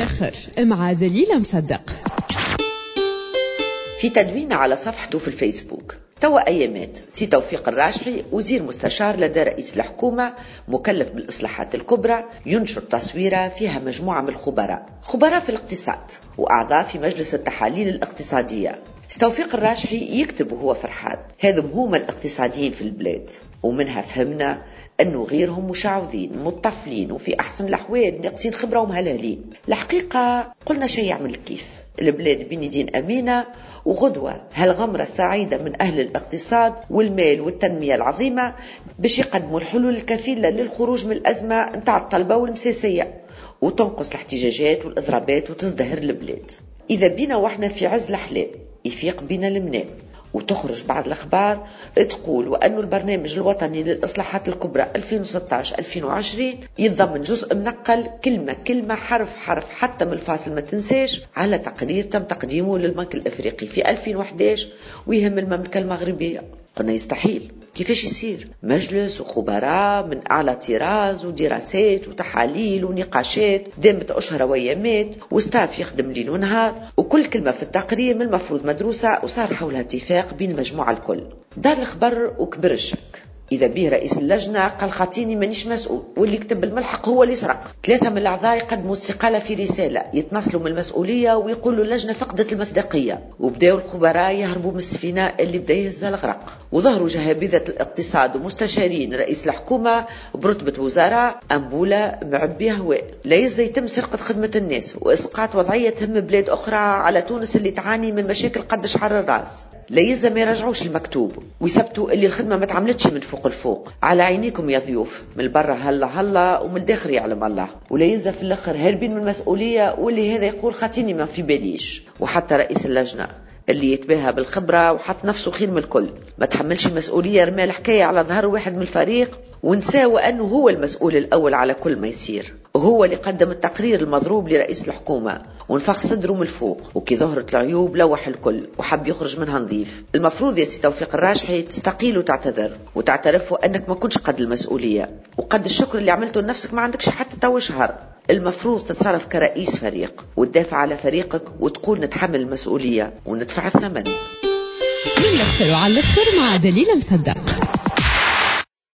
الاخر مع دليلة مصدق. في تدوين على صفحته في الفيسبوك توا أيامات، سي توفيق الراجحي وزير مستشار لدى رئيس الحكومة مكلف بالإصلاحات الكبرى ينشر تصويرة فيها مجموعة من الخبراء، خبراء في الاقتصاد وأعضاء في مجلس التحاليل الاقتصادية. سي توفيق الراجحي يكتب وهو فرحان، هذم هما الاقتصاديين في البلاد، ومنها فهمنا أنه غيرهم مشعوذين مطفلين وفي أحسن الأحوال ناقصين خبرة ومهلهلين. الحقيقة قلنا شيء يعمل كيف البلاد بين يدين أمينة، وغدوة هالغمرة السعيدة من أهل الاقتصاد والمال والتنمية العظيمة باش يقدموا الحلول الكفيلة للخروج من الأزمة نتاع الطلبة والمساسية، وتنقص الاحتجاجات والإضرابات وتزدهر البلاد. إذا بينا وإحنا في عز الأحلام يفيق بينا المنام وتخرج بعض الأخبار تقول وأن البرنامج الوطني للإصلاحات الكبرى 2016-2020 يتضمن جزء منقل كلمة كلمة حرف حرف حتى من الفاصل ما تنساش على تقرير تم تقديمه للبنك الإفريقي في 2011 ويهم المملكة المغربية. قلنا يستحيل، كيفاش يصير؟ مجلس وخبراء من أعلى طراز ودراسات وتحاليل ونقاشات دامت أشهر وأيامات وستاف يخدم ليل ونهار، وكل كلمة في التقرير من المفروض مدروسة وصار حولها اتفاق بين المجموعة الكل. دار الخبر وكبر الشك. إذا به رئيس اللجنة قال خاطيني مانيش مسؤول، واللي كتب الملحق هو اللي سرق. 3 من الأعضاء يقدموا استقالة في رسالة يتنصلوا من المسؤولية ويقولوا اللجنة فقدت المصداقية، وبداوا الخبراء يهربوا من السفينة اللي بدا يهزها الغرق، وظهروا جهابذة الاقتصاد ومستشارين رئيس الحكومة برتبة وزراء أنبولة معبية هواء. لا يزال يتم سرقة خدمة الناس وإسقاط وضعية تهم بلاد أخرى على تونس اللي تعاني من مشاكل قد شعر الراس. لا يلزم ما يرجعوش المكتوب ويثبتوا اللي الخدمة ما تعملتش من فوق الفوق. على عينيكم يا ضيوف، من برا هلا هلا ومن الداخل يعلم الله. ولا يلزم في الاخر هاربين من المسؤولية، واللي هذا يقول خاطيني ما في باليش. وحتى رئيس اللجنة اللي يتباهى بالخبرة وحط نفسه خير من الكل ما تحملش المسؤولية، رمى الحكاية على ظهر واحد من الفريق ونسى أنه هو المسؤول الأول على كل ما يصير، وهو اللي قدم التقرير المضروب لرئيس الحكومة ونفخ صدره من الفوق، وكي ظهرت العيوب لوح الكل وحب يخرج منها نظيف. المفروض يا سي توفيق الراجحي تستقيل وتعتذر وتعترف أنك ما كنتش قد المسؤولية وقد الشكر اللي عملته لنفسك ما عندكش حتى تو شهر. المفروض تتصرف كرئيس فريق وتدافع على فريقك وتقول نتحمل المسؤولية وندفع الثمن. من الأخر وعلى الآخر مع دليلة مصدق.